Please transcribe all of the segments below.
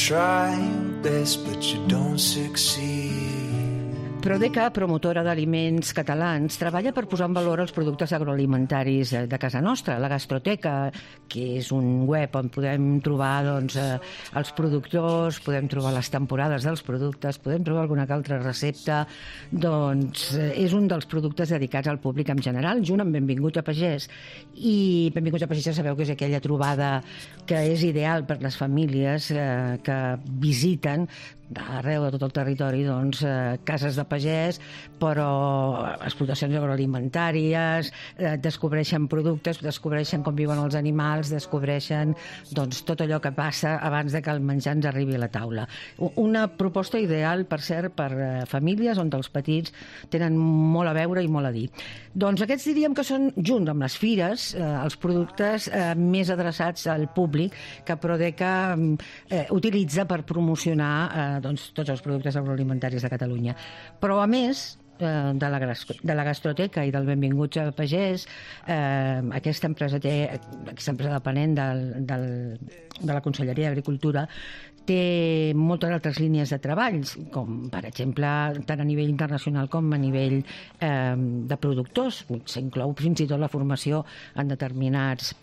try your best, but you don't succeed. Prodeca, promotora d'aliments catalans, treballa per posar en valor els productes agroalimentaris de casa nostra. La Gastroteca, que és un web on podem trobar els productors, podem trobar les temporades dels productes, podem trobar alguna altra recepta, és un dels productes dedicats al públic en general, junt amb Benvingut a Pagès. I Benvingut a Pagès ja sabeu que és aquella trobada que és ideal per les famílies que visiten arreu de tot el territori cases de pagès, però explotacions agroalimentàries, descobreixen productes, descobreixen com viuen els animals, descobreixen tot allò que passa abans de que el menjar ens arribi a la taula. Una proposta ideal, per cert, per famílies on els petits tenen molt a veure i molt a dir. Doncs aquests diríem que són, junt amb les fires, els productes més adreçats al públic que Prodeca utilitza per promocionar tots els productes agroalimentaris de Catalunya. Però, a més de la Gastroteca i del Benvinguts a Pagès, aquesta empresa dependent de la Conselleria d'Agricultura té moltes altres línies de treballs, com, per exemple, tant a nivell internacional com a nivell de productors. S'inclou fins i tot la formació en determinats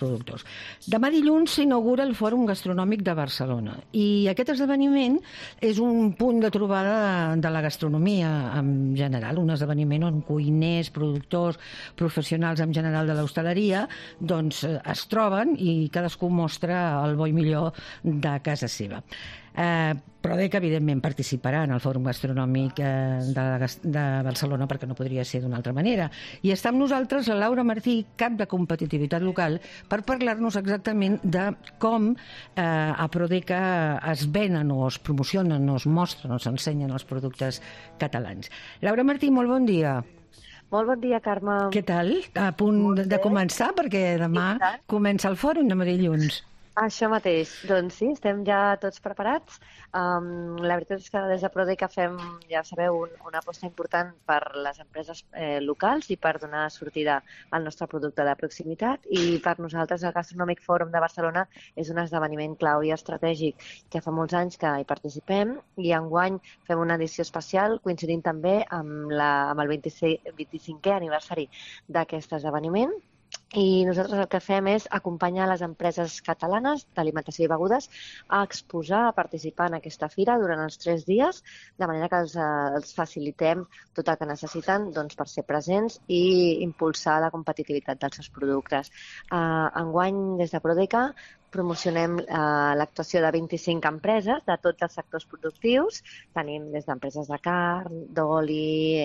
productors. Demà dilluns s'inaugura el Fòrum Gastronòmic de Barcelona i aquest esdeveniment és un punt de trobada de la gastronomia en general, un esdeveniment on cuiners, productors, professionals en general de l'hostaleria es troben i cadascú mostra el bo i millor de casa seva. Prodeca, evidentment, participarà en el Fòrum Gastronòmic de Barcelona, perquè no podria ser d'una altra manera. I està amb nosaltres la Laura Martí, cap de competitivitat local, per parlar-nos exactament de com a Prodeca es venen o es promocionen o es mostren o s'ensenyen els productes catalans. Laura Martí, molt bon dia. Molt bon dia, Carme. Què tal? A punt de començar, perquè demà comença el fòrum, demà dilluns. Això mateix. Doncs sí, estem ja tots preparats. La veritat és que des de Prodeca fem, ja sabeu, una aposta important per les empreses locals i per donar sortida al nostre producte de proximitat. I per nosaltres el Gastronòmic Fòrum de Barcelona és un esdeveniment clau i estratègic que fa molts anys que hi participem i enguany fem una edició especial coincidint també amb el 25è aniversari d'aquest esdeveniment. I nosaltres el que fem és acompanyar les empreses catalanes d'alimentació i begudes a exposar, a participar en aquesta fira durant els 3 dies, de manera que els facilitem tot el que necessiten per ser presents i impulsar la competitivitat dels seus productes. Enguany, des de Prodeca, promocionem l'actuació de 25 empreses de tots els sectors productius. Tenim des d'empreses de carn, d'oli,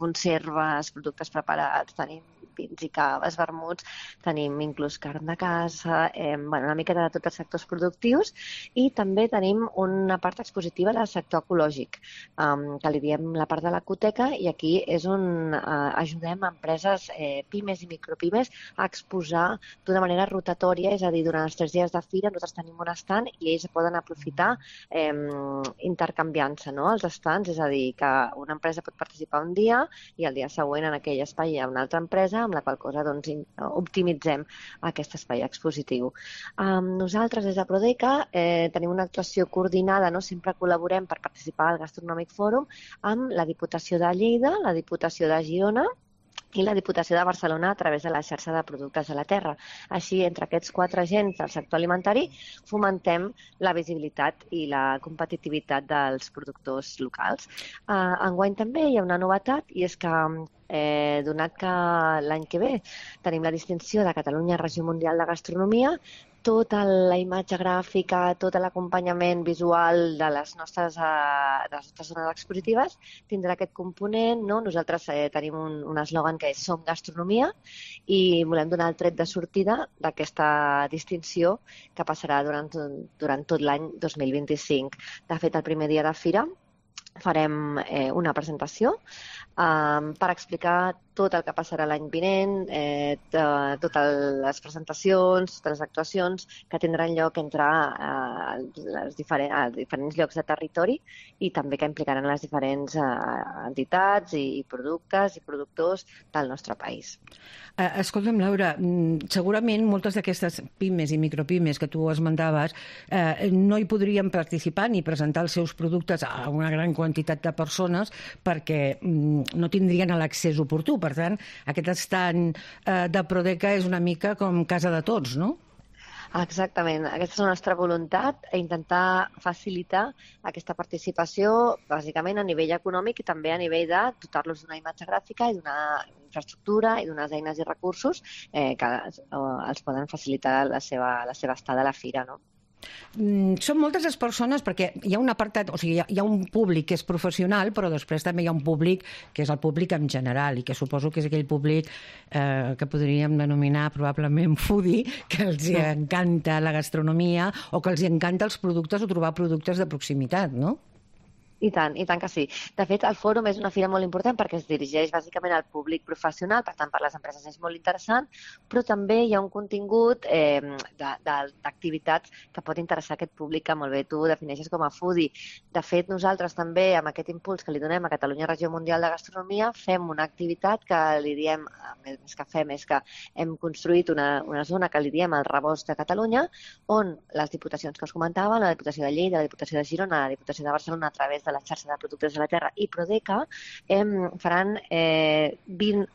conserves, productes preparats, tenim vins i caves, vermuts, tenim inclús carn de casa, una mica de tots els sectors productius i també tenim una part expositiva del sector ecològic, que li diem la part de l'ecoteca i aquí és on ajudem empreses pimes i micropimes a exposar d'una manera rotatòria, és a dir, durant els 3 dies de fira nosaltres tenim un estand i ells poden aprofitar intercanviant-se els estands, és a dir, que una empresa pot participar un dia i el dia següent en aquell espai hi ha una altra empresa amb la qual cosa optimitzem aquest espai expositiu. Nosaltres des de Prodeca tenim una actuació coordinada, sempre col·laborem per participar al Gastronòmic Fòrum amb la Diputació de Lleida, la Diputació de Girona i la Diputació de Barcelona a través de la xarxa de productes de la terra. Així, entre aquests 4 agents del sector alimentari, fomentem la visibilitat i la competitivitat dels productors locals. Enguany també hi ha una novetat i és que donat que l'any que ve tenim la distinció de Catalunya Regió Mundial de Gastronomia, tota la imatge gràfica, tot l'acompanyament visual de les nostres zones expositives tindrà aquest component. Nosaltres tenim un eslògan que és Som Gastronomia i volem donar el tret de sortida d'aquesta distinció que passarà durant tot l'any 2025. De fet, el primer dia de fira farem una presentació per explicar tot el que passarà l'any vinent, totes les presentacions, totes les actuacions que tindran lloc entre els diferents llocs de territori i també que implicaran les diferents entitats i productes i productors del nostre país. Escolta'm, Laura, segurament moltes d'aquestes pimes i micropimes que tu esmentaves no hi podrien participar ni presentar els seus productes a una gran quantitat de persones perquè no tindrien l'accés oportú. Per tant, aquest estand de Prodeca és una mica com casa de tots, no? Exactament. Aquesta és la nostra voluntat, intentar facilitar aquesta participació, bàsicament a nivell econòmic i també a nivell de dotar-los d'una imatge gràfica i d'una infraestructura i d'unes eines i recursos que els poden facilitar la seva estada a la fira, no? Són moltes les persones perquè hi ha un apartat, o sigui, hi ha un públic que és professional, però després també hi ha un públic que és el públic en general i que suposo que és aquell públic que podríem denominar probablement foodie, que els encanta la gastronomia o que els encanta els productes o trobar productes de proximitat, no? I tant que sí. De fet, el fòrum és una fira molt important perquè es dirigeix bàsicament al públic professional, per tant, per les empreses és molt interessant, però també hi ha un contingut d'activitats que pot interessar aquest públic que molt bé tu defineixes com a foodie. De fet, nosaltres també, amb aquest impuls que li donem a Catalunya Regió Mundial de Gastronomia, fem una activitat que li diem, més que fem, és que hem construït una zona que li diem el Rebost de Catalunya, on les diputacions que us comentava, la Diputació de Lleida, la Diputació de Girona, la Diputació de Barcelona, a través de la xarxa de productes de la terra i Prodeca, faran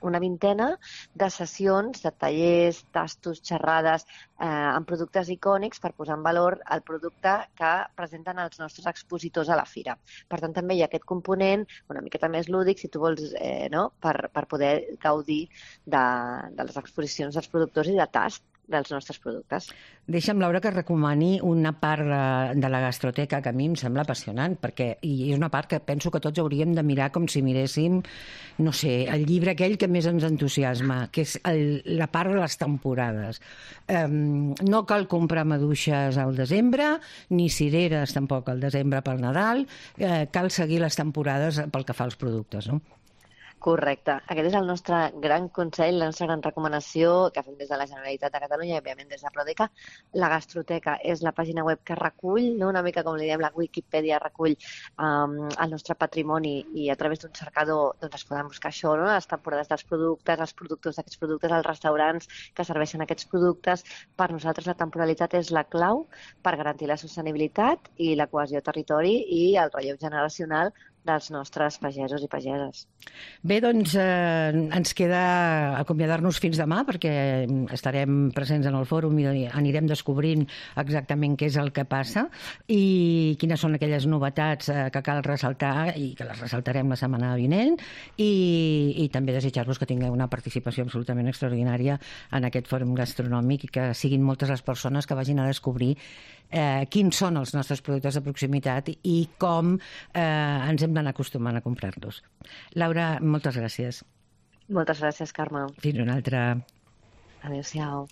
una vintena de sessions, de tallers, tastos, xerrades amb productes icònics per posar en valor el producte que presenten els nostres expositors a la fira. Per tant, també hi ha aquest component una miqueta més lúdic, si tu vols, per poder gaudir de les exposicions dels productors i de tast dels nostres productes. Deixa'm, Laura, que recomani una part de la gastroteca que a mi em sembla apassionant, perquè és una part que penso que tots hauríem de mirar com si miréssim, no sé, el llibre aquell que més ens entusiasma, que és la part de les temporades. No cal comprar maduixes al desembre, ni cireres tampoc al desembre pel Nadal, cal seguir les temporades pel que fa als productes, no? Correcte. Aquest és el nostre gran consell, la nostra gran recomanació que fem des de la Generalitat de Catalunya i, òbviament, des de Prodeca. La gastroteca és la pàgina web que recull, no? Una mica com li diem, la Wikipedia recull el nostre patrimoni i a través d'un cercador es poden buscar això, no? Les temporades dels productes, els productors d'aquests productes, els restaurants que serveixen aquests productes. Per nosaltres la temporalitat és la clau per garantir la sostenibilitat i la cohesió territori i el relleu generacional dels nostres pagesos i pageses. Bé, doncs ens queda acomiadar-nos fins demà perquè estarem presents en el fòrum i anirem descobrint exactament què és el que passa i quines són aquelles novetats que cal ressaltar i que les ressaltarem la setmana vinent i també desitjar-vos que tingueu una participació absolutament extraordinària en aquest fòrum gastronòmic i que siguin moltes les persones que vagin a descobrir quins són els nostres productes de proximitat i com ens hem d'anar acostumant a comprar-los. Laura, moltes gràcies. Moltes gràcies, Carme. Fins una altra. Adéu-siau.